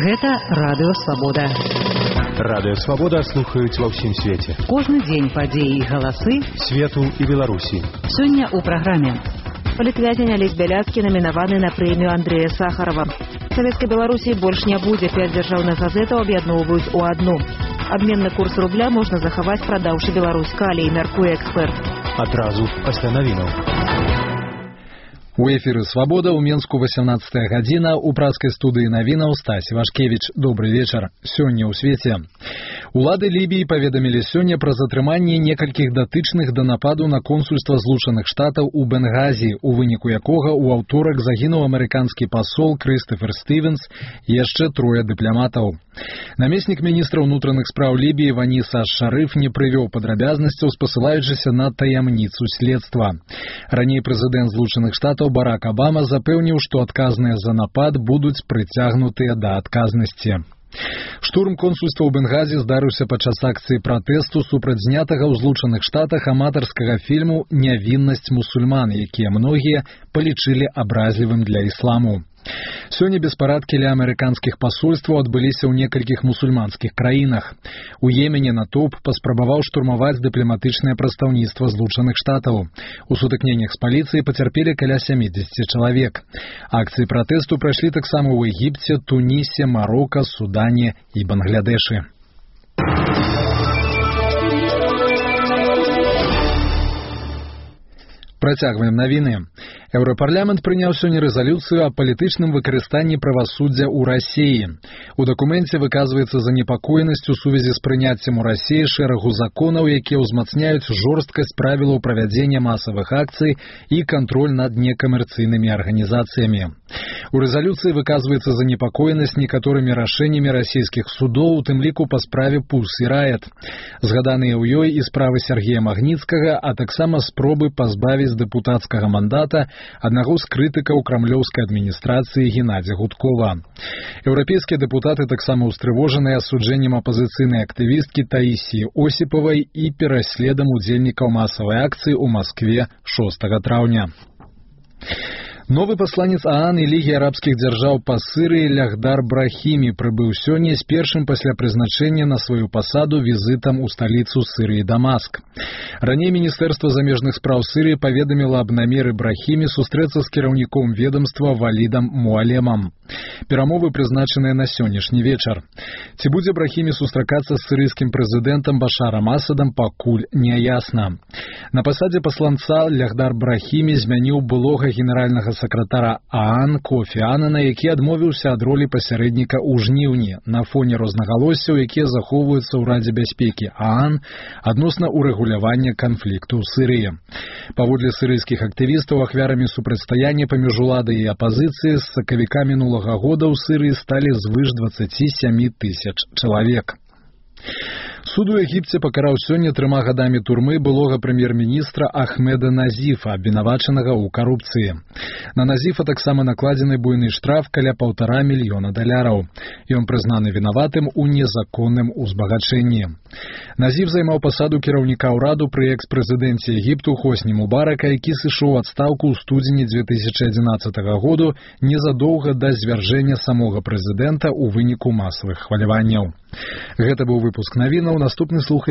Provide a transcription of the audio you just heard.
Гэта Радыё Свабода. Радыё Свабода слухаюць ва ўсім свеце. Кожны дзень падзеі і галасы свету і Беларусі. Сёння ў праграме. Палітвязень Алесь Бяляцкі намінаваны на прэмію Андрэя Сахарова. Савецкай Беларусі больш не будзе, 5 дзяржаўных газетаў аб'ядноўваюць у адну. Абменны курс рубля можна захаваць, прадаўшы Беларусь калій, мяркуе эксперт. Адразу пасля навінаў. У эфіры «Свабода» ў Менску 18 гадзіна. У праскай студыі навінаў Стась Вашкевіч. Добры вечар. Сёння ў свеце. Улады Лібіі паведамілі сёння пра затрыманне некалькіх датычных да нападу на консульства Злучаных Штатаў у Бенгазі, у выніку якога ў аўторак загінуў амерыканскі пасол Крыстафер Стывенс і яшчэ 3 дыпламатаў. Намеснік міністра ўнутраных спраў Лібіі Ванис аш-Шарыф не прывёў падрабязнасцяў, спасылаючыся на таямніцу следства. Раней прэзідэнт Злучаных Штатаў Барак Абама запэўніў, што адказныя за напад будуць прыцягнутыя да адказнасці. Штурм консульства ў Бенгазі здарыўся падчас акцыі пратэсту супраць знятага ў Злучаных Штатах аматарскага фільму «Нявіннасць мусульман», якія многія палічылі абразлівым для ісламу. Сёння беспарадкі ля амерыканскіх пасольстваў адбыліся ў некалькіх мусульманскіх краінах. У Йемене натоўп паспрабаваў штурмаваць дыпламатычнае прадстаўніцтва Злучаных Штатаў. У сутыкненнях з паліцыяй пацярпелі каля 70 чалавек. Акцыі пратэсту прайшлі таксама ў Егіпце, Тунісе, Марока, Судане і Бангладэшы. Працягваем навіны. Еўрапарламент прыняў сёння рэзалюцыю о палітычным выкарыстанні правасуддзя ў Расіі. У дакуменце выказваецца занепакоенасць у сувязі з прыняццем у Расіі шэрагу законаў, якія ўзмацняюць жорсткасць правілаў правядзення масавых акцый і кантроль над некамерцыйнымі арганізацыямі. У рэзалюцыі выказваецца занепакоенасць некаторымі рашэннямі расійскіх судоў, у тым ліку па справе Пульс і Раят. Згаданыя ў ёй і справы Сергея Магніцкага, а таксама спробы пазбавіць дэпутацкага мандата аднаго з крытыкаў крамлёўскай адміністрацыі Геннадзя Гудкова. Еўрапейскія дэпутаты таксама ўстрывожаныя асуджэннем апазіцыйнай актывісткі Таісіі Осіпавай і пераследам удзельнікаў масавай акцыі ў Маскве 6 траўня. Новы пасланец ААН і Лігі арабскіх дзяржаў па Сырыі Лягдар Брахімі прыбыў сёння з першым пасля прызначэння на сваю пасаду візітам у сталіцу Сырыі Дамаск. Раней Міністэрства замежных спраў Сырыі паведаміла аб намеры Брахімі сустрэцца з кіраўніком ведомства Валідам Муалемам. Перамовы прызначаныя на сённяшні вечар. Ці будзе Брахімі сустракацца з сырыйскім прэзідэнтам Башарам Асадам, пакуль няясна. На пасадзе пасланца Лягдар Брахімі змяніў былога генеральнага сакратара ААН Кофі Анана, які адмовіўся ад ролі пасярэдніка ў жніўні на фоне рознагалоссяў, якія захоўваюцца ў Радзе бяспекі ААН адносна урэгулявання канфлікту ў Сырыі. Паводле сырыйскіх актывістаў, ахвярамі супрацьстаяння паміж уладай і апазіцыяй з сакавіка мінулага года ў Сырыі сталі звыш 27 тысяч чалавек. Суд у Егіпце пакараў сёння 3 гадамі турмы былога прэм'ер-міністра Ахмеда Назіфа, абвінавачанага ў карупцыі. На Назіфа таксама накладзены буйны штраф каля $1,5 мільёна. Ён прызнаны вінаватым у незаконным узбагачэнні. Назіф займаў пасаду кіраўніка ўраду пры экс-прэзідэнце Егіпту Хосні Мубарака, які сышоў у адстаўку ў студзені 2011 году незадоўга да звяржэння самога прэзідэнта ў выніку масавых хваляванняў. Гэта быў выпуск навінаў. Наступны слухай